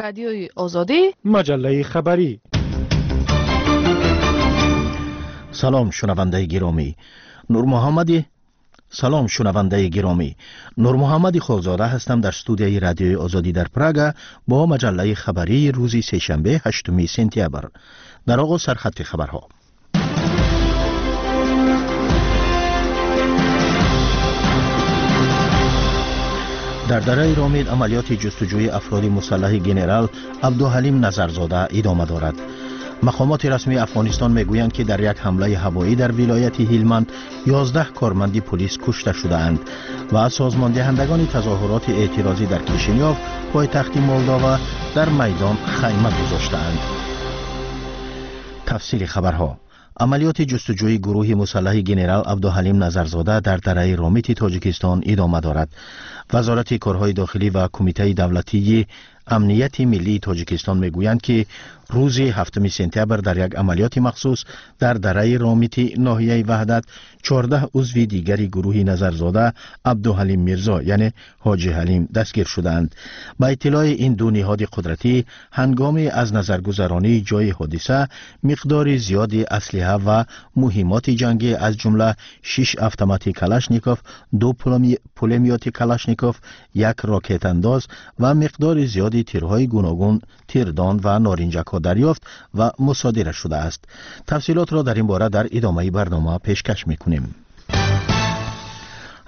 Радиои Озодӣ, маҷаллаи хабарӣ. Салом, шунавандаи гиромӣ. Нурмуҳаммади Салом, шунавандаи гиромӣ. Нурмуҳаммади Холзода ҳастам дар студияи Радиои Озодӣ дар Прага бо маҷаллаи хабарии рӯзи сешанбе, 8 сентябр. Дар оғоз сархати хабарҳо. Дар дараи Ромид амалиёти ҷустуҷӯи афроди мусаллаҳи генерал Абдуҳалим Назарзода идома дорад. Мақомоти расмии Афғонистон мегӯянд, ки дар як ҳамлаи ҳавоӣ дар вилояти Ҳилманд 11 корманди пулис кушта шудаанд ва созмондиҳандагони тазоҳуроти эътирозӣ дар Кишинёв, пойтахти Молдова, дар майдон хайма гузоштаанд. Тафсири хабарҳо. Амалиёти ҷустуҷӯи гурӯҳи мусаллаҳи генерал Абдуҳалим Назарзода дар дараи Ромити Тоҷикистон идома дорад. Вазорати корҳои дохилӣ ва Кумитаи давлатии амнияти миллии Тоҷикистон мегӯянд, ки рӯзи 7 сентябр дар як амалиёти махсус дар дараи Ромити ноҳияи Ваҳдат 14 узви дигари гурӯҳи Назарзода Абдуҳалим Мирзо, яъне Ҳоҷи Ҳалим, дастгир шудаанд. Ба иттилои ин ду ниҳоди қудратӣ, ҳангоми аз назаргузаронии ҷои ҳодиса миқдори зиёди аслиҳа ва муҳимоти ҷангӣ, аз ҷумла 6 автомати Калашников, 2 пулемёти Калашников, 1 рокетандоз ва миқдори зиёди тирҳои гуногун, тирдон ва норинҷакҳо дарёфт ва мусодира шудааст. Тафсилотро дар ин бора дар идомаи барнома пешкаш мекунем.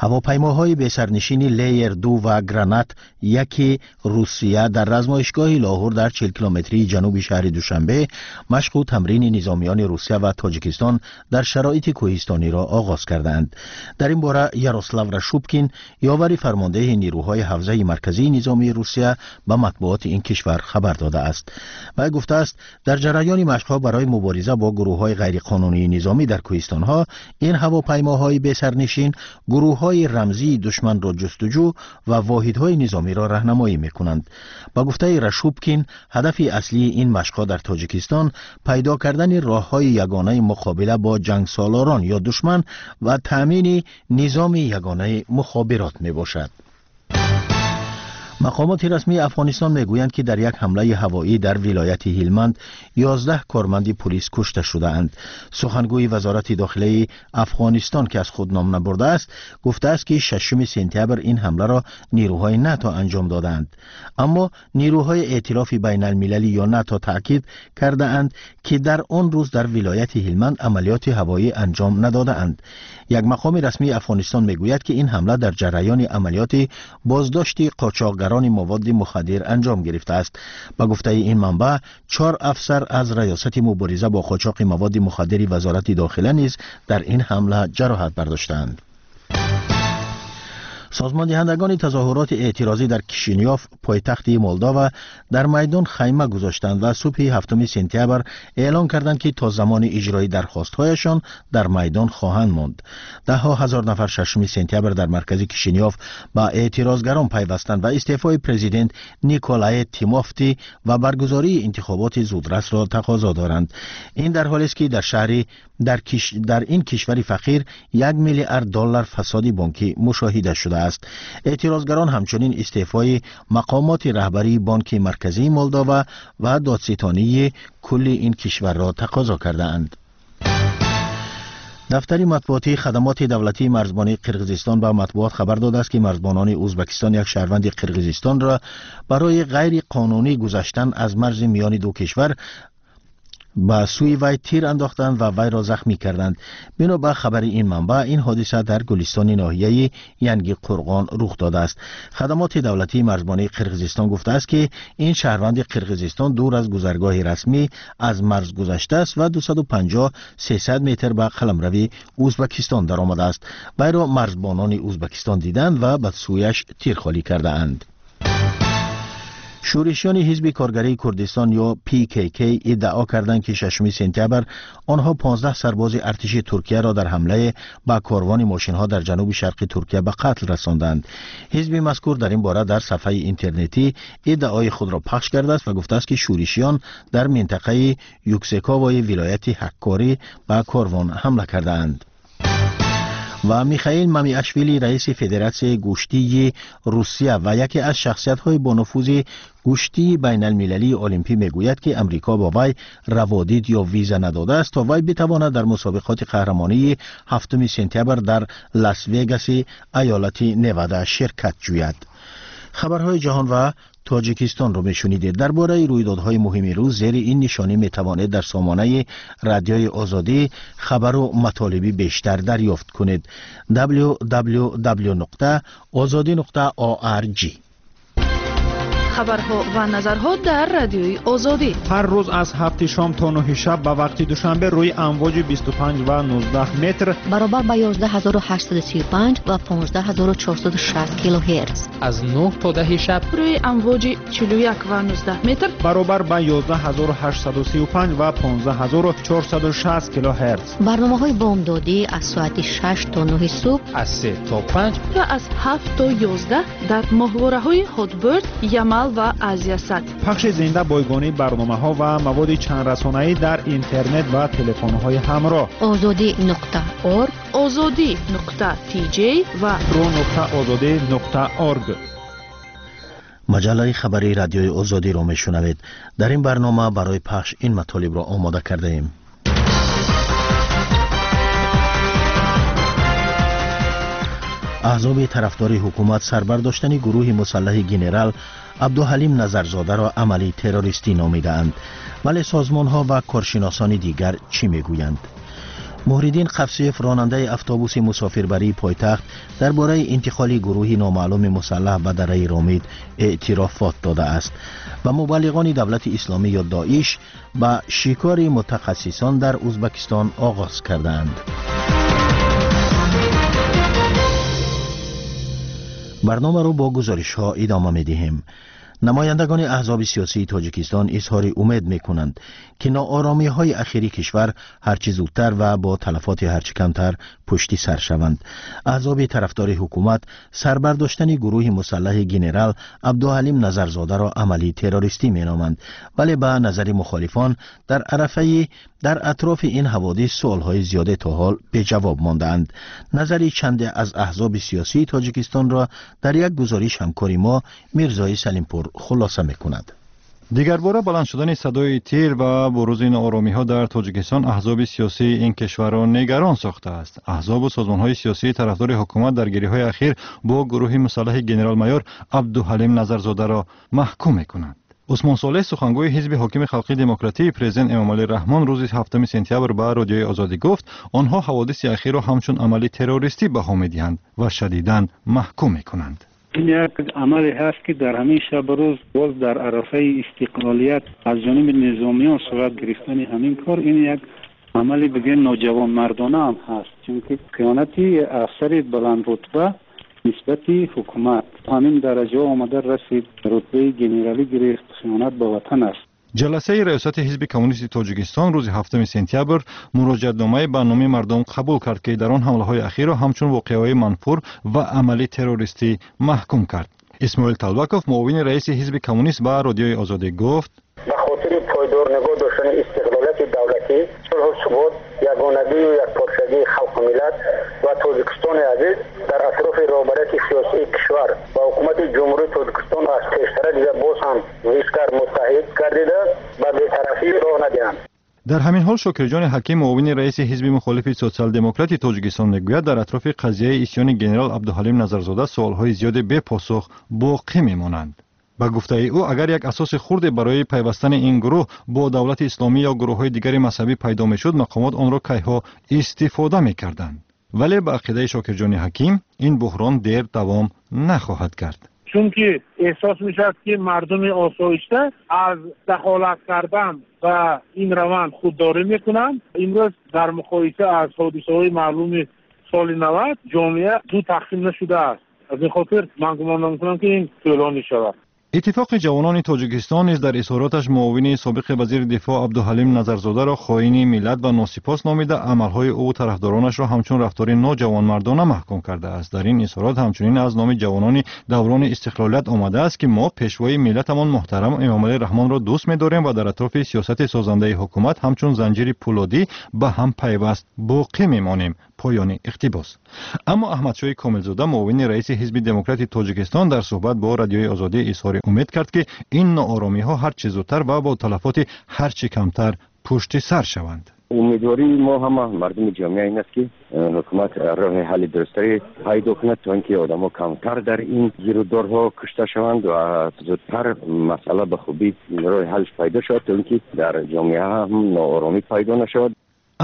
Ҳавопаймоҳои бесарнишини Леер 2 ва Гранат 1 Русия дар размоишгоҳи Лоҳур дар 40 километрии ҷануби шаҳри Душанбе машқу тамрини низомиёни Русия ва Тоҷикистон дар шароити кӯҳистониро оғоз кардаанд. Дар ин бора Ярослав Рашубкин, ёвари фармондеҳи нирӯҳои ҳавзаи марказии низомии Русия, ба матбуоти ин кишвар хабар додааст. Вай гуфтааст, дар ҷараёни машқҳо барои мубориза бо гурӯҳҳои ғайриқонунии низомӣ дар кӯҳистонҳо ин ҳавопаймоҳои бесарнишин гурӯҳҳои рамзии душманро ҷустуҷӯ ва воҳидҳои низомиро раҳнамоӣ мекунанд. Ба гуфтаи Рашубкин, ҳадафи аслии ин машқҳо дар Тоҷикистон пайдо кардани роҳҳои ягонаи муқобила бо ҷангсолорон ё душман ва таъмини низоми ягонаи мухобирот мебошад. Мақомоти расмии Афғонистон мегӯянд, ки дар як ҳамлаи ҳавоӣ дар вилояти Ҳилманд 11 корманди пулис кушта шудаанд. Сухангӯи вазорати дохилаи Афғонистон, ки аз худ ном набурдааст, гуфтааст, ки 6 сентябр ин ҳамларо нирӯҳои НАТО анҷом додаанд. Аммо нирӯҳои эътилофи байналмилалӣ ё НАТО таъкид кардаанд, ки дар он рӯз дар вилояти Ҳилманд амалиёти ҳавоӣ анҷом надодаанд. Як мақоми расмии Афғонистон мегӯяд, ки ин ҳамла дар ҷараёни амалиёти боздошти қочоқгарони маводи мухаддир анҷом гирифтааст. Ба гуфтаи ин манбаъ, 4 афсар аз раёсати мубориза бо қочоқи маводи мухаддири вазорати дохила низ дар ин ҳамла ҷароҳат бардоштаанд. Созмондиҳандагони тазоҳуроти эътирозӣ дар Кишинёв, пойтахти Молдова, дар майдон хайма гузоштанд ва субҳи 7 сентябр эълон карданд, ки то замони иҷрои дархостҳояшон дар майдон хоҳанд монд. Даҳҳо ҳазор нафар 6 сентябр дар маркази Кишинёв ба эътирозгарон пайвастанд ва истеъфои президент Николае Тимофти ва баргузории интихоботи зудрасро тақозо доранд. Ин дар ҳолест, ки дар шаҳри дар ин кишвари фақир 1 миллиард доллар фасоди бонкӣ мушоҳида шудааст. Эътирозгарон ҳамчунин истеъфои мақомоти раҳбарии Бонки Марказии Молдова ва додситонии кулли ин кишварро тақозо кардаанд. Дафтари матбуотии хадамоти давлатии марзбонии Қирғизистон ба матбуот хабар додааст, ки марзбонони Ӯзбекистон як шаҳрванди Қирғизистонро барои ғайриқонунӣ гузаштан аз марзи миёни ду кишвар ба сӯи вай тир андохтанд ва вайро захмӣ карданд. Бино ба хабари ин манбаъ, ин ҳодиса дар Гулистони ноҳияи Янги Қурғон рух додааст. Хадамоти давлатии марзбонии Қирғизистон гуфтааст, ки ин шаҳрванди Қирғизистон дур аз гузаргоҳи расмӣ аз марз гузаштааст ва 250-300 метр ба қаламрави Ӯзбекистон даромадааст. Вайро марзбонони Ӯзбекистон диданд ва ба сӯяш тир холӣ кардаанд. Шӯришиёни ҳизби коргарии Курдистон ё ПКК иддао карданд, ки 6 сентябр онҳо 15 сарбози артиши Туркияро дар ҳамлае ба корвони мошинҳо дар ҷануби шарқи Туркия ба қатл расонданд. Ҳизби мазкур дар ин бора дар сафҳаи интернетӣ иддаои худро пахш кардааст ва гуфтааст, ки шӯришиён дар минтақаи Юксековои вилояти Ҳаккорӣ ба корвон ҳамла кардаанд. Ва Михаил Мамиашвили, раиси Федератсияи гӯштии Русия ва яке аз шахсиятҳои бонуфузи гӯштии байналмилалии олимпӣ, мегӯяд, ки Амрико ба вай раводид ё виза надодааст, то вай битавонад дар мусобиқоти қаҳрамонии 7 сентябр дар Лас-Вегаси аёлати Невада ширкат ҷӯяд. Хабарҳои ҷаҳон ва Тоҷикистонро мешунидед. Дар бораи рӯйдодҳои муҳими рӯз зери ин нишонӣ метавонед дар сомонаи Радиои Озодӣ хабару матолиби бештар дарёфт кунед: www.ozodi.org. Хабарҳо ва назарҳо дар Радиои Озодӣ. Ҳар рӯз аз 7-и шом то 9-и шаб ба вақти Душанбе рӯи амвоҷи 25 ва 19 метр баробар ба 11835 ва 15460 килогерц. Аз 9 то 10 шаб рӯи амвоҷи 41 ва 19 метр баробар ба 11835 ва 15460 килогерц. Барномаҳои бомдодӣ аз соати 6 то 9 субҳ, аз 3 то 5 ва аз 7 то 11 дар моҳвораҳои Ҳотберд, Ямал ва Азиясат. Пахши зинда, бойгонии барномаҳо ва маводи чандрасонаӣ дар интернет ва телефонҳои ҳамроҳ. Озодӣ.org, Озодӣ.tj ва ru.озодӣ.org. Маҷаллаи хабарии Радиои Озодиро мешунавед. Дар ин барнома барои пахш ин матолибро омода кардаем. Аҳзоби тарафдори ҳукумат сарбардоштани гурӯҳи мусаллаҳи генерал Абдуҳалим Назарзодаро амали террористӣ номидаанд, вале созмонҳо ва коршиносони дигар чӣ мегӯянд? Муҳриддин Қафсиев, ронандаи автобуси мусофирбарии пойтахт, дар бораи интиқоли гурӯҳи номаълуми мусаллаҳ ба дараи Ромид эътирофот додааст ва мубаллиғони Давлати Исломӣ ё Доиш ба шикори мутахассисон дар Узбакистон оғоз кардаанд. Барномаро бо гузоришҳо идома медиҳем. Намояндагони аҳзоби сиёсии Тоҷикистон изҳори умед мекунанд, ки нооромиҳои ахири кишвар ҳарчи зудтар ва бо талафоти ҳарчи камтар пушти сар шаванд. Аҳзоби тарафдори ҳукумат сарбардоштани гурӯҳи мусаллаҳи генерал Абдуҳалим Назарзодаро амали террористӣ меноманд, вале ба назари мухолифон дар арафаи дар атрофи ин ҳаводис суолҳои зиёде то ҳол беҷавоб мондаанд. Назари чанде аз аҳзоби сиёсии Тоҷикистонро дар як гузориш ҳамкори мо Мирзои Салимпур хулоса мекунад. Дигарбора баланд шудани садои тир ва бурузи нооромиҳо дар Тоҷикистон аҳзоби сиёсии ин кишварро нигарон сохтааст. Аҳзобу созмонҳои сиёсии тарафдори ҳукумат даргириҳои ахир бо гурӯҳи мусаллаҳи генерал-майор Абдуҳалим Назарзодаро маҳкум мекунанд. Усмон Солеҳ, сухангӯи ҳизби ҳокими Халқи Демократии президент Эмомалӣ Раҳмон, рӯзи 7 сентябр ба Радиои Озодӣ гуфт, онҳо ҳаводиси ахирро ҳамчун амали террористӣ баҳо медиҳанд ва шадидан маҳкум мекунанд. Ин як амале ҳаст, ки дар ҳамин шабу рӯз, боз дар арафаи истиқлолият, аз ҷониби низомиён сурат гирифтани ҳамин кор, ин як амали, бигӯем, ноҷавонмардона ҳам ҳаст, чунки хиёнати афсари баландрутба нисбати ҳукумат, ҳамин дараҷаҳо омада расид, рутбаи генералӣ гирифт, хиёнат ба ватан аст. Ҷаласаи раёсати ҳизби коммунисти Тоҷикистон рӯзи 7 сентябр муроҷиатномае ба номи мардум қабул кард, ки дар он ҳамлаҳои ахирро ҳамчун воқеаҳои манфур ва амали террористӣ маҳкум кард. Исмоил Талбаков, муовини раиси ҳизби коммунист, ба Радиои Озодӣ гуфт: ба хотири пойдор нигоҳ доштани истиқлолияти давлатӣ, сулҳу субот, ягонагию якпорчагии халқу миллат ва Тоҷикистони азиз, дар атрофи роҳбарияти сиёсии кишвар ва ҳукумати Ҷумҳурии Тоҷикистон аз пештара дида боз ҳам зичтар муттаҳид гардида, ба бетарафӣ роҳ надиҳанд. Дар ҳамин ҳол Шокирҷони Ҳаким, муовини раиси ҳизби мухолифи Социал-демократи Тоҷикистон, мегӯяд, дар атрофи қазияи исьёни генерал Абдуҳалим Назарзода суолҳои зиёде бепосух боқӣ мемонанд. Ба гуфтаи ӯ, агар як асоси хурде барои пайвастани ин гурӯҳ бо Давлати Исломӣ ё гурӯҳҳои дигари мазҳабӣ пайдо мешуд, мақомот онро кайҳо истифода мекарданд. Вале ба ақидаи Шокирҷони Ҳаким, ин буҳрон дер давом нахоҳад кард. Чунки эҳсос мешавад, ки мардуми осоишта аз дахолат кардан ба ин раванд худдорӣ мекунанд. Имрӯз дар муқоиса аз ҳодисаҳои маълуми соли 90 ҷомеа ду тақсим нашудааст. Аз ин хотир ман гумон намекунам, ки ин тӯлонӣ шавад. Иттифоқи ҷавонони Тоҷикистон низ дар изҳороташ муовини собиқи вазири дифоъ Абдуҳалим Назарзодаро хоини миллат ва носипос номида, амалҳои ӯ тарафдоронашро ҳамчун рафтори ноҷавонмардона маҳкум кардааст. Дар ин изҳорот ҳамчунин аз номи ҷавонони даврони истиқлолият омадааст, ки мо пешвои миллатамон муҳтарам Эмомалӣ Раҳмонро дӯст медорем ва дар атрофи сиёсати созандаи ҳукумат ҳамчун занҷири пӯлодӣ ба ҳам пайваст боқӣ мемонем. Поёни иқтибос. Аммо Аҳмадшоҳи Комилзода, муовини раиси Ҳизби Демократии Тоҷикистон, дар суҳбат бо Радиои Озодӣ изҳори умед кард, ки ин нооромиҳо ҳарчи зудтар ва бо талафоти ҳарчи камтар пушти сар шаванд. Умедвории мо ҳама мардуми ҷомеа ин аст, ки ҳукумат роҳи ҳалли дурусттаре пайдо кунад, то инки одамҳо камтар дар ин гирудорҳо кушта шаванд ва зудтар масъала ба хубӣ роҳи ҳалш пайдо шавад, то инки дар ҷомеа ҳам нооромӣ пайдо нашавад.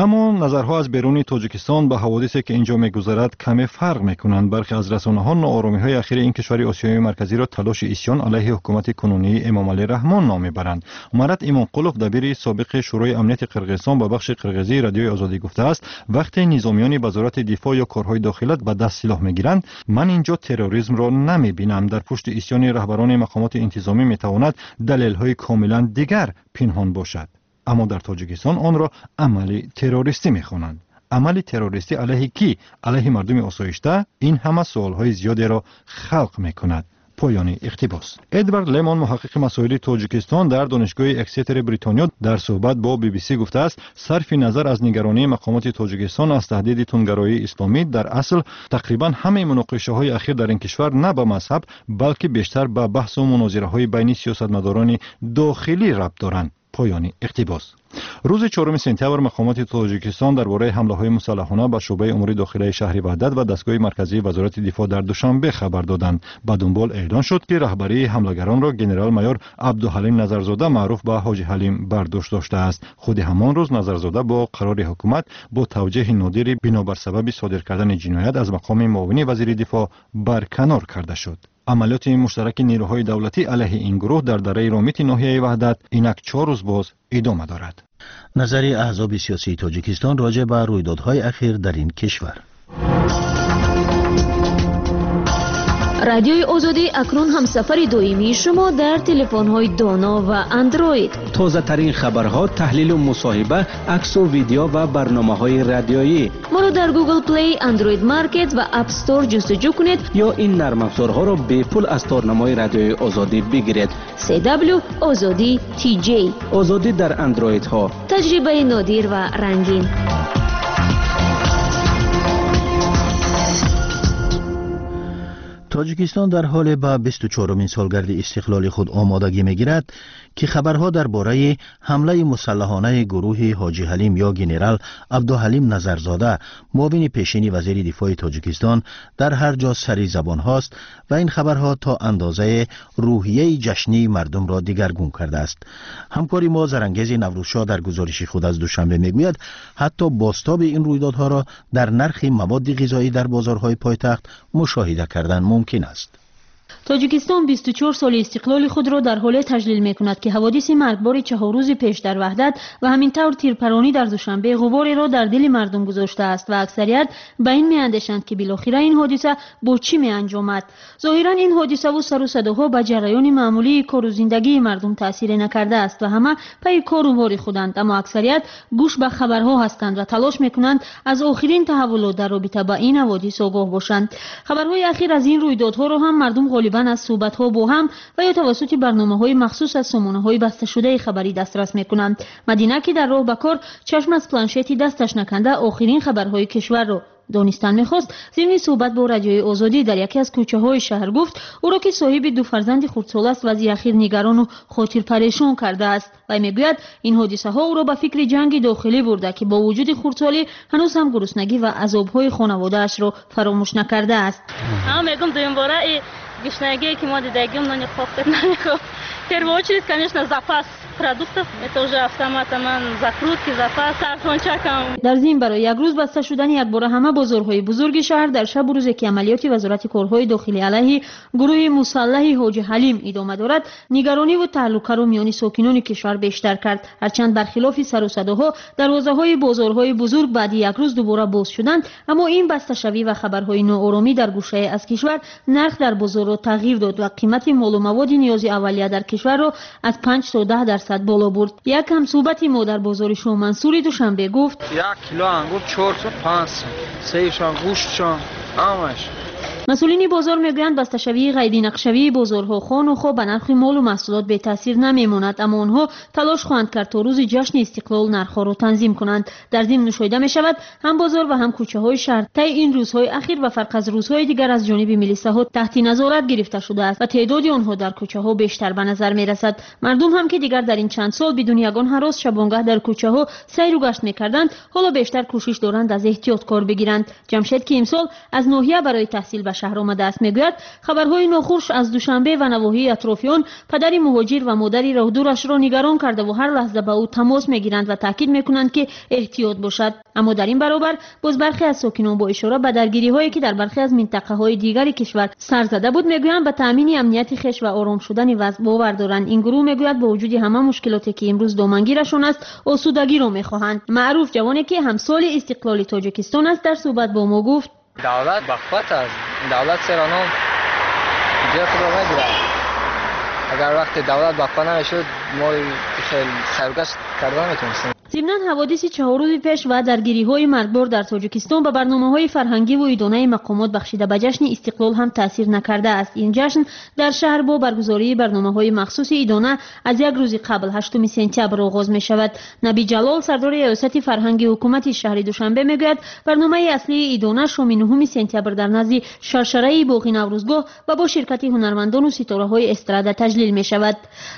Аммо назарҳо аз беруни Тоҷикистон ба ҳаводисе, ки инҷо мегузарад, каме фарқ мекунанд. Бархе аз расонаҳо нооромиҳои ахири ин кишвари Осиёи Марказиро талоши исьён алайҳи ҳукумати кунунии Эмомалӣ Раҳмон ном мебаранд. Марат Имонқулов, дабири собиқи Шӯрои амнияти Қирғизистон, ба бахши қирғизии Радиои Озодӣ гуфтааст, вақте низомиёни Вазорати дифоъ ё корҳои дохилат ба даст силоҳ мегиранд, ман инҷо терроризмро намебинам. Дар пушти исьёни раҳбарони мақомоти интизомӣ метавонад далелҳои комилан дигар пинҳон бошад. Аммо дар Тоҷикистон онро амали террористӣ мехонанд. Амали террористӣ алайҳи кӣ? Алайҳи мардуми осоишта? Ин ҳама суолҳои зиёдеро халқ мекунад. Поёни иқтибос. Эдвард Лемон, муҳаққиқи масоили Тоҷикистон дар Донишгоҳи Эксетери Бритониё, дар суҳбат бо BBC гуфтааст, сарфи назар аз нигаронии мақомоти Тоҷикистон аз таҳдиди тундгароии исломӣ, дар асл тақрибан ҳамаи муноқишаҳои ахир дар ин кишвар на ба мазҳаб, балки бештар ба баҳсу мунозираҳои байни сиёсатмадорони дохилӣ рабт доранд. Поёни иқтибос. Рӯзи 4 сентябр мақомоти Тоҷикистон дар бораи ҳамлаҳои мусаллаҳона ба шӯъбаи умури дохилаи шаҳри Ваҳдат ва дастгоҳи марказии Вазорати дифоъ дар Душанбе хабар доданд. Ба дунбол эълон шуд, ки раҳбарии ҳамлагаронро генерал-майор Абдуҳалим Назарзода, маъруф ба Ҳоҷи Ҳалим, бар дӯш доштааст. Худи ҳамон рӯз Назарзода бо қарори ҳукумат бо тавҷеҳи нодири бинобар сабаби содир кардани ҷиноят аз мақоми муовини вазири дифоъ барканор карда шуд. Амалиёти муштараки нерӯҳои давлатӣ алайҳи ин гурӯҳ дар дараи Ромити ноҳияи Ваҳдат инак 4 рӯз боз идома дорад. Назари аҳзоби сиёсии Тоҷикистон роҷеъ ба рӯйдодҳои ахир дар ин кишвар. Радиои Озодӣ акнун ҳамсафари доимии шумо дар телефонҳои доно ва андроид. Тозатарин хабарҳо, таҳлилу мусоҳиба, аксу видео ва барномаҳои радиоӣ. Моро дар Google Play, Android Market ва App Store ҷустуҷӯ кунед ё ин нармафзорҳоро бепул аз торнамои Радиои Озодӣ бигиред. CW Озодӣ TJ. Озодӣ дар андроидҳо. Таҷрибаи нодир ва рангин. Тоҷикистон дар ҳоле ба 24-умин солгарди истиқлоли худ омодагӣ мегирад, ки хабарҳо дар бораи ҳамлаи мусаллаҳонаи гурӯҳи Ҳоҷи Ҳалим ё генерал Абдуҳалим Назарзода, муовини пешини вазири дифои Тоҷикистон, дар ҳар ҷо сари забонҳост ва ин хабарҳо то андозаи рӯҳияи ҷашнии мардумро дигаргун кардааст. Ҳамкори мо Зарангези Наврӯзшоҳ дар гузориши худ аз Душанбе мегӯяд, ҳатто бозтоби ин рӯйдодҳоро дар нархи маводи ғизоӣ дар бозорҳои пойтахт мушоҳида кардан мумкин аст. Тоҷикистон 24 соли истиқлоли худро дар ҳоле таҷлил мекунад, ки ҳаводиси маргбори 4 рӯзи пеш дар Ваҳдат ва ҳамин тавр тирпаронӣ дар Душанбе ғубореро дар дили мардум гузоштааст ва аксарият ба ин меандешанд, ки билохира ин ҳодиса бо чӣ меанҷомад. Зоҳиран ин ҳодисаву сару садоҳо ба ҷараёни маъмулии кору зиндагии мардум таъсире накардааст ва ҳама пайи кору бори худанд, аммо аксарият гӯш ба хабарҳо ҳастанд ва талош мекунанд аз охирин таҳаввулот дар робита ба ин ҳаводис огоҳ бошанд. Хабарҳои ахир аз ин рӯйдодҳоро ҳам мардум ғолибан аз суҳбатҳо бо ҳам ва ё тавассути барномаҳои махсус аз сомонаҳои басташудаи хабарӣ дастрас мекунанд. Мадина, ки дар роҳ ба кор чашм аз планшети дасташ наканда охирин хабарҳои кишварро донистан мехост, зимни суҳбат бо Радиои Озодӣ дар яке аз кӯчаҳои шаҳр гуфт, ӯро, ки соҳиби 2 фарзанди хурдсол аст, вазъи ахир нигарону хотирпарешон кардааст. Вай мегӯяд, ин ҳодисаҳо ӯро ба фикри ҷанги дохилӣ бурда, ки бо вуҷуди хурдсолӣ ҳанӯз ҳам гуруснагӣ ва азобҳои хонаводаашро фаромӯш накардааст. Мегум дуюмбора гушнагие ки мо дидагим нони қоқтед намехоҳ. Первую очередь, конечно, запас продуктов. Это уже автоматом закрутки, запас, сарфончакам. Дар зимн барои як рӯз баста шудани якбора ҳама бозорҳои бузурги шаҳр дар шабу рӯзе ки амалиёти Вазорати корҳои дохилӣ алайҳи гурӯҳи мусаллаҳи Ҳоҷи Ҳалим идома дорад, нигарониву таҳлукаро миёни сокинони кишвар бештар кард. Ҳарчанд бархилофи сару садоҳо дарвозаҳои бозорҳои бузург баъди як рӯз дубора боз шуданд, аммо ин басташавӣ ва хабарҳои нооромӣ дар гӯшае аз кишвар нарх дар бозорро тағйир дод ва қимати молу маводи ниёзи аввалия дар кишварро аз 5 то 10% боло бурд. Як ҳамсӯҳбати мо дар бозори Шоҳмансури Душанбе гуфт: 1 кило ангур 4 сум, 5 сум, сейшон, гӯштшон, ҳамаш. Масъулини бозор мегӯянд, басташавии ғайринақшавии бозорҳо хону хо ба нархи молу маҳсулот бетаъсир намемонад, аммо онҳо талош хоҳанд кард то рӯзи ҷашни истиқлол нархҳоро танзим кунанд. Дар зимн мушоҳида мешавад, ҳам бозор ва ҳам кӯчаҳои шаҳр таи ин рӯзҳои ахир ба фарқ аз рӯзҳои дигар аз ҷониби милисаҳо таҳти назорат гирифта шудааст ва теъдоди онҳо дар кӯчаҳо бештар ба назар мерасад. Мардум ҳам ки дигар дар ин чанд сол бидуни ягон ҳарос шабонгаҳ дар кӯчаҳо сайру гашт мекарданд, ҳоло бештар кӯшиш доранд аз эҳтиёт кор бигиранд. Ҷамшед, ки имсол аз ноҳия барои таҳсил ба шаҳр омадааст, мегӯяд хабарҳои нохуш аз Душанбе ва навоҳии атрофи он падари муҳоҷир ва модари роҳдурашро нигарон кардаву ҳар лаҳза ба ӯ тамос мегиранд ва таъкид мекунанд, ки эҳтиёт бошад. Аммо дар ин баробар боз бархе аз сокинон бо ишора ба даргириҳое ки дар бархе аз минтақаҳои дигари кишвар сар зада буд, мегӯянд ба таъмини амнияти хеш ва ором шудани вазъ бовар доранд. Ин гурӯҳ мегӯяд бо вуҷуди ҳама мушкилоте ки имрӯз домангирашон аст, осудагиро мехоҳанд. Маъруф, ҷавоне ки ҳамсоли истиқлоли Тоҷикистон аст, дар суҳбат бо мо гуфт: Давлат бақувват аст. Давлат серано ҷои худро мегирад. Агар вақте давлат бақувват намешуд, мо хеле сайругашт карда наметавонистем. Зимнан ҳаводиси 4 рӯзи пеш ва даргириҳои маргбор дар Тоҷикистон ба барномаҳои фарҳангиву идонаи мақомот бахшида ба ҷашни истиқлол ҳам таъсир накардааст. Ин ҷашн дар шаҳр бо баргузории барномаҳои махсуси идона аз як рӯзи қабл, 8 сентябр, оғоз мешавад. Наби Ҷалол, сардори риёсати фарҳанги ҳукумати шаҳри Душанбе, мегӯяд барномаи аслии идона шоми 9 сентябр дар назди шаршараи боғи Наврӯзгоҳ ва бо ширкати ҳунармандону ситораҳои эстрада таҷлил мешавад.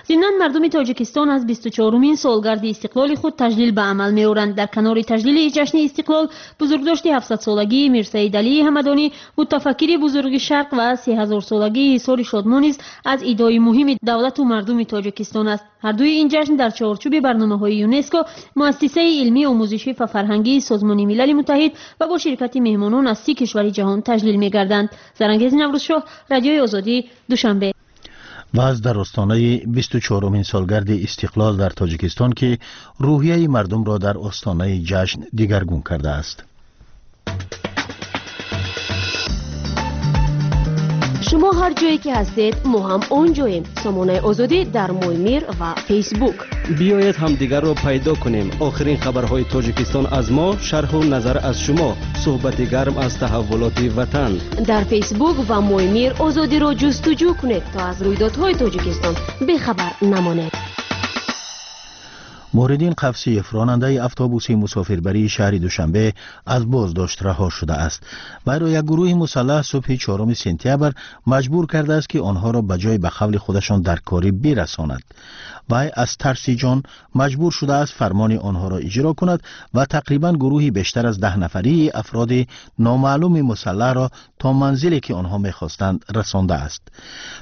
Зимнан мардуми Тоҷикистон аз 24-умин солгарди истиқлоли худ таҷлил ба амал меоранд. Дар канори таҷлили ҷашни истиқлол бузургдошти 700-солагии Мирсаид Алии Ҳамадонӣ, мутафаккири бузурги Шарқ, ва 3000-солагии Ҳисори Шодмон низ аз идои муҳими давлату мардуми Тоҷикистон аст. Ҳардуи ин ҷашн дар чорчӯби барномаҳои ЮНЕСКО, муассисаи илмӣ, омӯзишӣ ва фарҳангии Созмони Милали Муттаҳид ва бо ширкати меҳмонон аз 30 кишвари ҷаҳон таҷлил мегарданд. Зарангези Наврӯзшоҳ, Радиои Озодӣ, Душанбе. Ва аз дар остонаи 24-умин солгарди истиқлол дар Тоҷикистон, ки рӯҳияи мардумро дар остонаи ҷашн дигаргун кардааст. Шумо ҳар ҷое ки ҳастед, мо ҳам он ҷоем. Сомонаи Озодӣ дар Моймир ва Фейсбук. Биёед ҳамдигарро пайдо кунем. Охирин хабарҳои Тоҷикистон аз мо, шарҳу назар аз шумо, суҳбати гарм аз таҳаввулоти ватан. Дар Фейсбук ва Моймир Озодиро ҷустуҷӯ кунед, то аз рӯйдодҳои Тоҷикистон бехабар намонед. Муҳриддин Қавсиев, ронандаи автобуси мусофирбарии шаҳри Душанбе, аз боздошт раҳо шудааст. Вайро як гурӯҳи мусаллаҳ субҳи 4 сентябр маҷбур кардааст, ки онҳоро ба ҷои ба қавли худашон дар корӣ бирасонад. Вай аз тарси ҷон маҷбур шудааст фармони онҳоро иҷро кунад ва тақрибан гурӯҳи бештар аз 10 нафарии афроди номаълуми мусаллаҳро то манзиле ки онҳо мехостанд расондааст.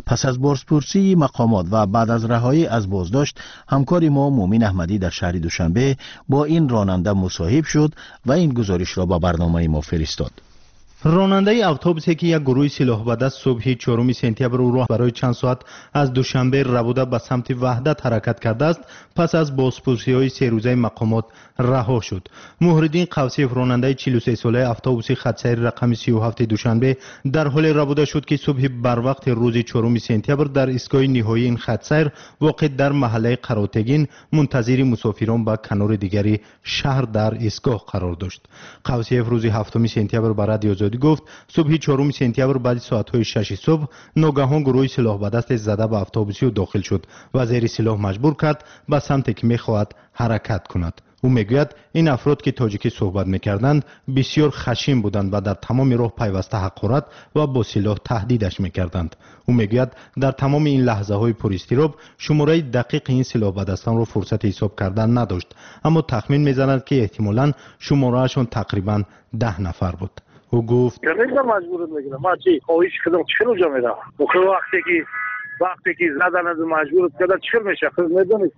Пас аз бозпурсии мақомот ва баъд аз раҳоӣ аз боздошт, ҳамкори мо Муъмин Аҳмадӣ дар шаҳри Душанбе бо ин ронанда мусоҳиб шуд ва ин гузоришро ба барномаи мо фиристод. Ронандаи автобусе ки як гурӯҳи силоҳбадаст субҳи 4 сентябр ӯро барои чанд соат аз Душанбе рабуда ба самти Ваҳдат ҳаракат кардааст, пас аз бозпурсиҳои серӯзаи мақомот раҳо шуд. Муҳриддин Қавсиев, ронандаи 43-солаи автобуси хатсайри рақами 37 Душанбе, дар ҳоле рабуда шуд, ки субҳи барвақти рӯзи 4 сентябр дар истгоҳи ниҳоии ин хатсайр воқеъ дар маҳаллаи Қаротегин мунтазири мусофирон ба канори дигари шаҳр дар истгоҳ қарор дошт. Қавсиев рӯзи 7 сентябр ба Радиои Озодӣ гуфт, субҳи 4 сентябр баъди соатҳои 6 субҳ ногаҳон гурӯҳи силоҳбадасте зада ба автобуси ӯ дохил шуд ва зери силоҳ маҷбур кард ба самте ки мехоҳад ҳаракат кунад. Ӯ мегӯяд, ин афрод ки тоҷикӣ суҳбат мекарданд, бисёр хашин буданд ва дар тамоми роҳ пайваста ҳақорат ва бо силоҳ таҳдидаш мекарданд. Ӯ мегӯяд, дар тамоми ин лаҳзаҳои пуристироб шумораи дақиқи ин силоҳбадастонро фурсати ҳисоб кардан надошт, аммо тахмин мезанад, ки эҳтимолан шумораашон тақрибан 10 нафар буд. Ӯ гуфт: маҷбурат мекунам, ман чи хоҳиши худам чӣ хел ҷо меравам? Вақте ки Вақте ки задан маҷбур карда, чӣ хел мешавад? Худ медонед,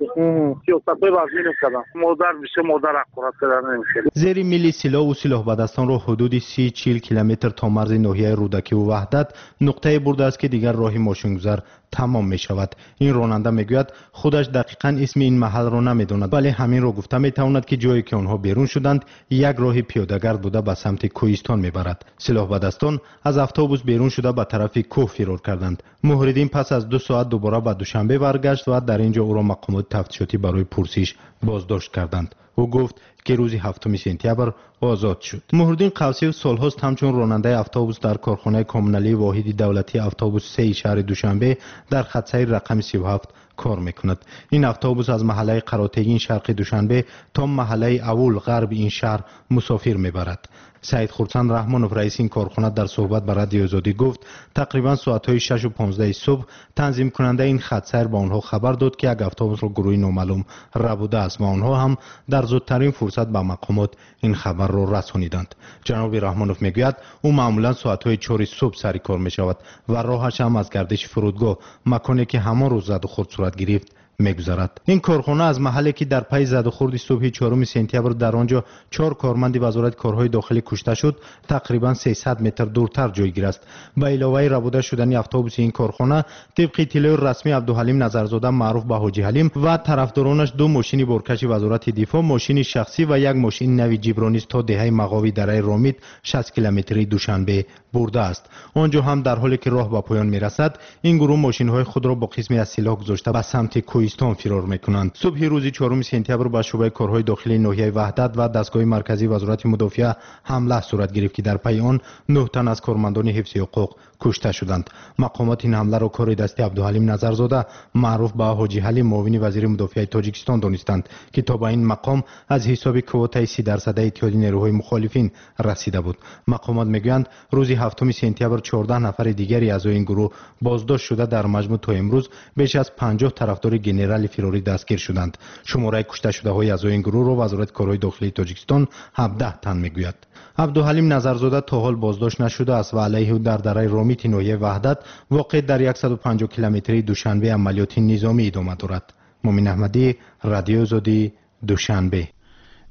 сиёсатҳои вазмин карданд. Модар бисёр модар ҳақорат кардан намешавад. Зери мили силоҳу силоҳбадастонро ҳудуди 30-40 километр то марзи ноҳияи Рӯдакиву Ваҳдат нуқтае бурдааст, ки дигар роҳи мошингузар тамом мешавад. Ин ронанда мегӯяд, худаш дақиқан исми ин маҳалро намедонад, вале ҳаминро гуфта метавонад, ки ҷое ки онҳо берун шуданд, як роҳи пиёдагард буда ба самти кӯҳистон мебарад. Силоҳбадастон аз автобус берун шуда ба тарафи кӯҳ фирор карданд. Муҳриддин пас аз 2 соат дубора ба Душанбе баргашт ва дар ин ҷо ӯро мақомоти тафтишотӣ барои пурсиш боздошт карданд. Ӯ гуфт, ки рӯзи 7 сентябр озод шуд. Муҳриддин Қавсиев солҳост ҳамчун ронандаи автобус дар корхонаи коммуналии воҳиди давлатии автобус 3 шаҳри Душанбе дар хатсайри рақами 37 кор мекунад. Ин автобус аз маҳаллаи Қаротегин шарқи Душанбе то маҳаллаи Авул ғарби ин шаҳр мусофир мебарад. Саид Хурсанд Раҳмонов, раиси ин корхона, дар суҳбат ба Радиои Озодӣ гуфт, тақрибан соатҳои 6:15 субҳ танзимкунандаи ин хатсайр ба онҳо хабар дод, ки як автобусро гурӯҳи номаълум рабудааст ва онҳо ҳам дар зудтарин фурсат ба мақомот ин хабарро расониданд. Ҷаноби Раҳмонов мегӯяд, ӯ маъмулан соатҳои 4 субҳ сари кор мешавад ва роҳаш ҳам аз гардиши фурудгоҳ, маконе ки ҳамон рӯз задухӯрд сурат гирифт, мегузарад. Ин корхона аз маҳалле ки дар пайи задухӯрди субҳи 4 сентябр дар он ҷо 4 корманди вазорати корҳои дохилӣ кушта шуд, тақрибан 300 метр дуртар ҷойгир аст. Ба иловаи рабуда шудани автобуси ин корхона, тибқи иттилои расмӣ, Абдуҳалим Назарзода маъруф ба Ҳоҷи Ҳалим ва тарафдоронаш 2 мошини боркаши вазорати дифоъ, мошини шахсӣ ва як мошини нави ҷибро низ то деҳаи Мағови дараи Ромит 60 километрии Душанбе бурдааст. Он ҷо ҳам дар ҳоле ки роҳ ба поён мерасад, ин гурӯҳ мошинҳои худро бо қисме аз силоҳ гузошта ба самти кӯҳистон фирор мекунанд. Субҳи рӯзи 4 сентябр ба шӯъбаи корҳои дохилии ноҳияи Ваҳдат ва дастгоҳи марказии вазорати мудофиа ҳамла сурат гирифт, ки дар пайи он 9 тан аз кормандони ҳифзи ҳуқуқ кушта шуданд. Мақомот ин ҳамларо кори дасти Абдуҳалим Назарзода маъруф ба Ҳоҷи Ҳалим, муовини вазири мудофиаи Тоҷикистон донистанд, ки то ба ин мақом аз ҳисоби квотаи 30% иттиҳоди нерӯҳои мухолифин расида буд. Мақомот мегӯянд, рӯзи 7 сентябр 14 нафари дигари аъзои ин гурӯҳ боздошт шуда, дар маҷмӯъ то имрӯз беш аз 50 тарафдори генерали фирорӣ дастгир шуданд. Шумораи кушташудаҳои аъзои ин гурӯҳро вазорати корҳои дохилии Тоҷикистон 17 тан мегӯяд. Абдуҳалим Назарзода то ҳол боздошт нашудааст ва алайҳи ӯ дар дараи Ромити ноҳияи Ваҳдат воқеъ дар 150 километрии Душанбе амалиёти низомӣ идома дорад. Мумин Аҳмадӣ, Радиои Озодӣ, Душанбе.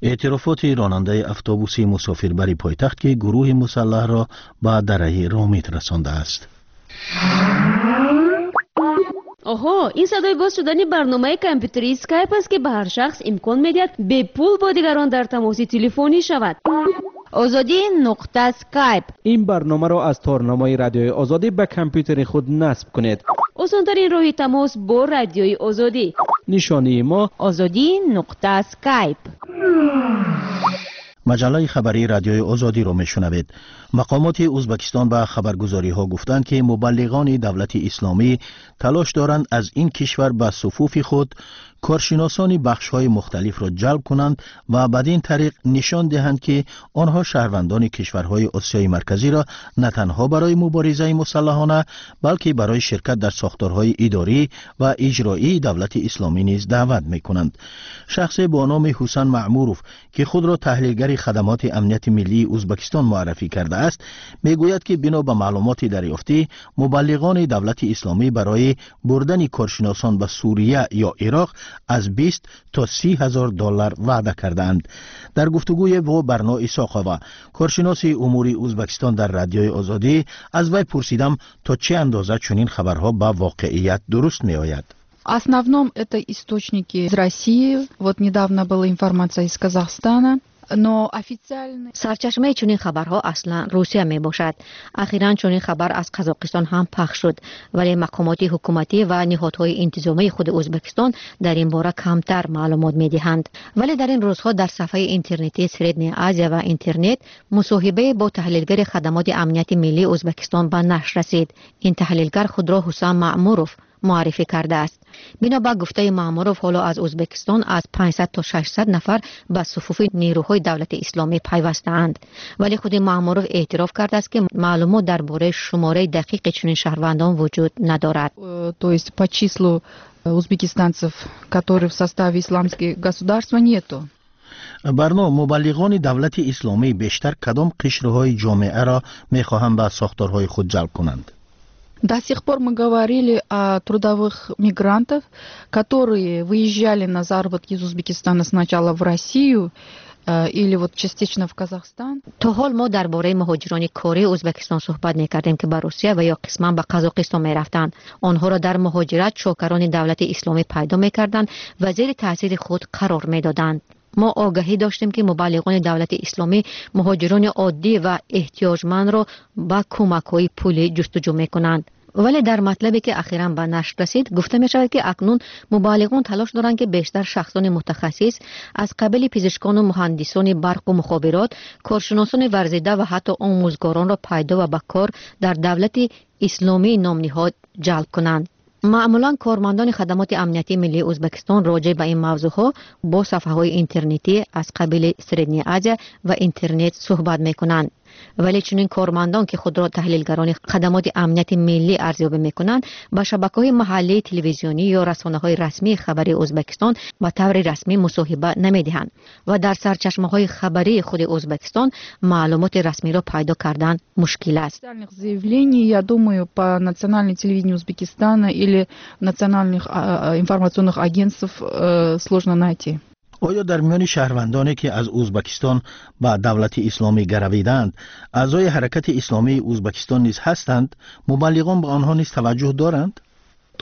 Эътирофоти ронандаи автобуси мусофирбари пойтахт, ки гурӯҳи мусаллаҳро ба дараи Ромит расондааст. Оҳо, ин садои боз шудани барномаи компютерии Скайп аст, ки ба ҳар шахс имкон медиҳад бепул бо дигарон дар тамоси телефонӣ шавад. Озодӣ нуқта Скайп. Ин барномаро аз торнамои Радиои Озодӣ ба компютери худ насб кунед. Осонтарин роҳи тамос бо Радиои Озодӣ. Нишонии мо Озодӣ нуқта Скайп. Маҷаллаи хабарии Радиои Озодиро мешунавед. Мақомоти Ӯзбекистон ба хабаргузориҳо гуфтанд, ки мубаллиғони давлати исломӣ талош доранд аз ин кишвар ба суфуфи худ коршиносони бахшҳои мухталифро ҷалб кунанд ва бадин тариқ нишон диҳанд, ки онҳо шаҳрвандони кишварҳои Осиёи Марказиро на танҳо барои муборизаи мусаллаҳона, балки барои ширкат дар сохторҳои идорӣ ва иҷроии давлати исломӣ низ даъват мекунанд. Шахсе бо номи Ҳусан Маъмуров, ки худро таҳлилгари хадамоти амнияти миллии Ӯзбекистон муаррафӣ кардааст, мегӯяд, ки бино ба маълумоти дарёфтӣ, мубаллиғони давлати исломӣ барои бурдани коршиносон ба Сурия ё Ироқ аз 20 то 30 ҳазор доллар ваъда кардаанд. Дар гуфтугӯе бо Барно Исоқова, коршиноси умури Ӯзбекистон дар Радиои Озодӣ, аз вай пурсидам, то чӣ андоза чунин хабарҳо ба воқеият дуруст меояд. Основном это источники из России. Вот недавно была информация из Казахстана. Но официально Сарчашмаи чунин хабарҳо аслан Русия мебошад. Ахиран чунин хабар аз Қазоқистон ҳам пахш шуд, вале мақомоти ҳукуматӣ ва ниҳодҳои интизомии худи Ӯзбекистон дар ин бора камтар маълумот медиҳанд. Вале дар ин рӯзҳо дар сафҳаи интернетии Средняя Азия ва интернет мусоҳибае бо таҳлилгари хадамоти амнияти миллии Ӯзбекистон ба нашр расид. Ин таҳлилгар худро Ҳусан Маъмуров муаррифӣ кардааст. Бино ба гуфтаи Маъмуров, ҳоло аз Ӯзбекистон аз 500 то 600 нафар ба суфуфи нерӯҳои давлати исломӣ пайвастаанд. Вале худи Маъмуров эътироф кардааст, ки маълумот дар бораи шумораи дақиқи чунин шаҳрвандон вуҷуд надорад. То есть по числу узбекистанцев, которые в составе исламских государства, нету. Барно, мубаллиғони давлати исломӣ бештар кадом қишрҳои ҷомеаро мехоҳанд ба сохторҳои худ ҷалб кунанд? До сих пор мы говорили о трудовых мигрантах, которые выезжали на заработки из Узбекистана сначала в Россию или вот частично в Казахстан. То ҳол мо дар бораи муҳоҷирони кории Ӯзбекистон суҳбат мекардем, ки ба Русия ва ё қисман ба Қазоқистон мерафтанд. Онҳоро дар муҳоҷират чокарони давлати исломӣ пайдо мекарданд ва зери таъсири худ қарор медоданд. Мо огаҳӣ доштем, ки мубаллиғони давлати исломӣ муҳоҷирони оддӣ ва эҳтиёҷмандро ба кӯмакҳои пулӣ ҷустуҷӯ мекунанд. Вале дар матлабе, ки ахиран ба нашр расид, гуфта мешавад, ки акнун мубаллиғон талош доранд, ки бештар шахсони мутахассис аз қабили пизишкону муҳандисони барқу мухобирот, коршиносони варзида ва ҳатто омӯзгоронро пайдо ва ба кор дар давлати исломии номниҳод ҷалб кунанд. Маъмулан кормандони хадамоти амниятии миллии Ӯзбекистон роҷеъ ба ин мавзӯъҳо бо сафҳаҳои интернетӣ аз қабили Средняя Азия ва интернет суҳбат мекунанд. Вале чунин кормандон, ки худро таҳлилгарони хадамоти амнияти миллӣ арзёбӣ мекунанд, ба шабакаҳои маҳаллии телевизионӣ ё расонаҳои расмии хабарии Ӯзбекистон ба таври расмӣ мусоҳиба намедиҳанд ва дар сарчашмаҳои хабарии худи Ӯзбекистон маълумоти расмиро пайдо кардан мушкил аст. Заявлений, я думаю, по национальному телевидению Узбекистана или национальных информационных агентств сложно найти. Оё дар миёни шаҳрвандоне, ки аз Ӯзбекистон ба давлати исломӣ гаравидаанд, аъзои ҳаракати исломии Ӯзбекистон низ ҳастанд? Мубаллиғон ба онҳо низ таваҷҷӯҳ доранд?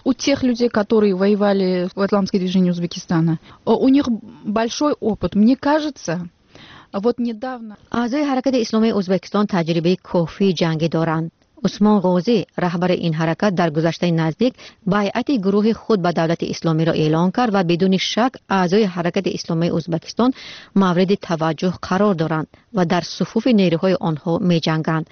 У тех людей, которые воевали в Исламском движении Узбекистана, у них большой опыт. Мне кажется, вот недавно. Аъзои ҳаракати исломии Ӯзбекистон таҷрибаи кофии ҷангӣ доранд. Усмон Ғозӣ, раҳбари ин ҳаракат, дар гузаштаи наздик байъати гурӯҳи худ ба давлати исломиро эълон кард ва бидуни шак аъзои ҳаракати исломии Ӯзбекистон мавриди таваҷҷӯҳ қарор доранд ва дар суфуфи нерӯҳои онҳо меҷанганд.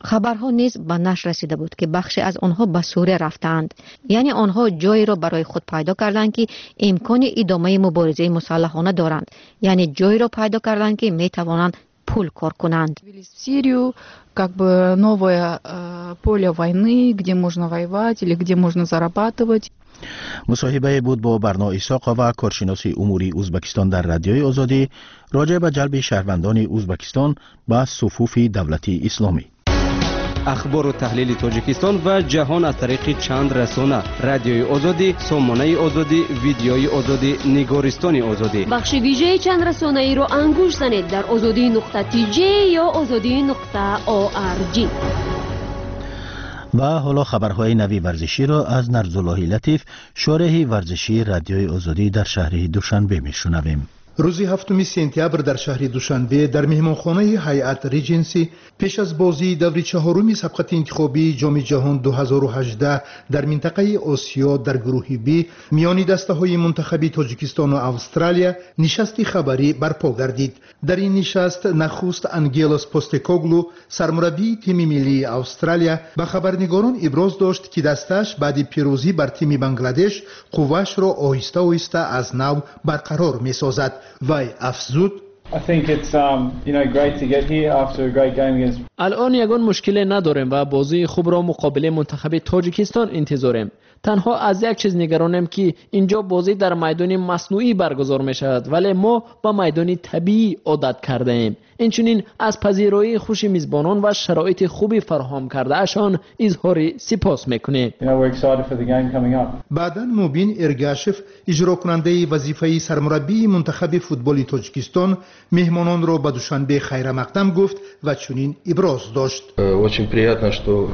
Хабарҳо низ ба нашр расида буд, ки бахше аз онҳо ба Сурия рафтаанд, яъне онҳо ҷойеро барои худ пайдо карданд, ки имкони идомаи муборизаи мусаллаҳона доранд, яъне ҷойеро пайдо карданд, ки метавонанд пул кор кунанд. В Сирию, как бы новое поле войны, где можно воевать или где можно зарабатывать. Мусоҳибае буд бо Барно Исоқова, коршиноси умури Ӯзбекистон дар Радиои Озодӣ, роҷеъ ба ҷалби шаҳрвандони Ӯзбекистон ба суфуфи давлати исломӣ. Ахбору таҳлили Тоҷикистон ва ҷаҳон аз тариқи чанд расона: Радиои Озодӣ, Сомонаи Озодӣ, Видеои Озодӣ, Нигористони Озодӣ. Бахши вижаи чандрасонаиро ангушт занед дар озодӣ.тж ё озодӣ.орг. Ва ҳоло хабарҳои нави варзиширо аз Нарзуллоҳи Латиф, шореҳи варзишии Радиои Озодӣ дар шаҳри Душанбе, мешунавем. Рӯзи 7 сентябр дар шаҳри Душанбе дар меҳмонхонаи Ҳайат Реҷенси пеш аз бозии даври чаҳоруми сабқати интихобии Ҷоми ҷаҳон 2018 дар минтақаи Осиё дар гурӯҳи Б миёни дастаҳои мунтахаби Тоҷикистону Австралия нишасти хабарӣ барпо гардид. Дар ин нишаст нахуст Ангелос Постекоглу, сармураббии тими миллии Австралия, ба хабарнигорон иброз дошт, ки дастааш баъди пирӯзӣ бар тими Бангладеш қувваашро оҳиста оҳиста аз нав барқарор месозад. Вай афзуд: Алъон ягон мушкиле надорем ва бозии хубро муқобили мунтахаби Тоҷикистон интизорем. Танҳо аз як чиз нигаронем, ки инҷо бозӣ дар майдони маснуӣ баргузор мешавад, вале мо ба майдони табиӣ одат кардаем. Инчунин аз пазироии хуши мизбонон ва шароити хуби фароҳам кардаашон изҳори сипос мекунем. Баъдан Мубин Эргашев, иҷрокунандаи вазифаи сармураббии мунтахаби футболи Тоҷикистон, меҳмононро ба Душанбе хайрамақдам гуфт ва чунин иброз дошт: Очень приятно, что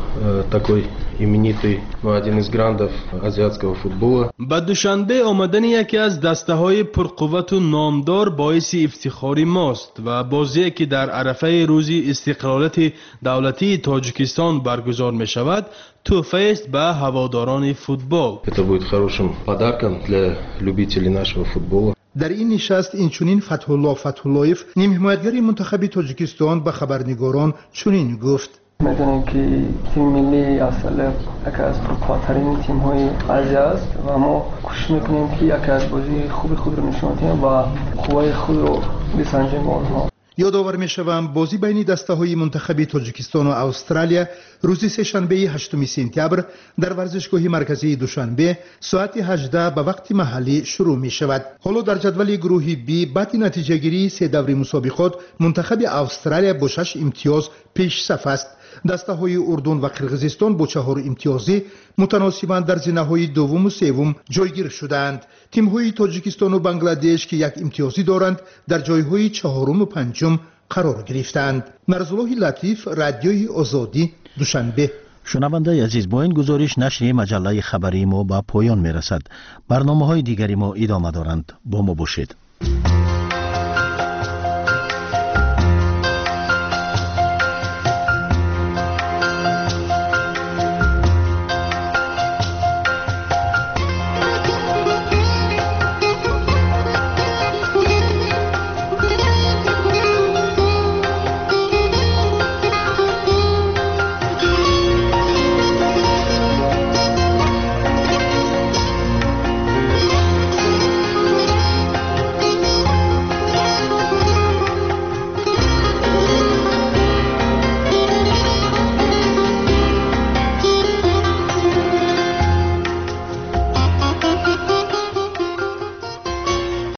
такой именитый, ну, один из грандов азиатского футбола. Ба Душанбе омадани яке аз дастаҳои пурқуввату номдор боиси ифтихори мост ва бозие, ки дар арафаи рӯзи истиқлолияти давлатии Тоҷикистон баргузор мешавад, тӯҳфаест ба ҳаводорони футбол. Это будет хорошим подарком для любителей нашего футбола. Дар ин нишаст инчунин Фатҳулло Фатҳуллоев, нимҳимоятгари мунтахаби Тоҷикистон, ба хабарнигорон чунин гуфт: Медонем, ки тими миллии Австралия яке аз пурқувваттарин тимҳои Азия аст ва мо кӯшиш мекунем, ки яке аз бозии хуби худро нишон диҳем ва қувваи худро бисанҷем бо онҳо. Ёдовар мешавам, бозӣ байни дастаҳои мунтахаби Тоҷикистону Австралия рӯзи сешанбеи 8 сентябр дар варзишгоҳи марказии Душанбе соати 18 ба вақти маҳаллӣ шурӯъ мешавад. Ҳоло дар ҷадвали гурӯҳи Б баъди натиҷагирии се даври мусобиқот мунтахаби Австралия бо шаш имтиёз пешсаф аст. Дастаҳои Урдун ва Қирғизистон бо 4 имтиёзӣ мутаносибан дар зинаҳои дуввуму севум ҷойгир шудаанд. Тимҳои Тоҷикистону Бангладеш, ки 1 имтиёзӣ доранд, дар ҷойҳои чаҳоруму панҷум қарор гирифтаанд. Нарзуллоҳи Латиф, Радиои Озодӣ, Душанбе. Шунавандаи азиз, бо ин гузориш нашри маҷаллаи хабарии мо ба поён мерасад. Барномаҳои дигари мо идома доранд. Бо мо бошед.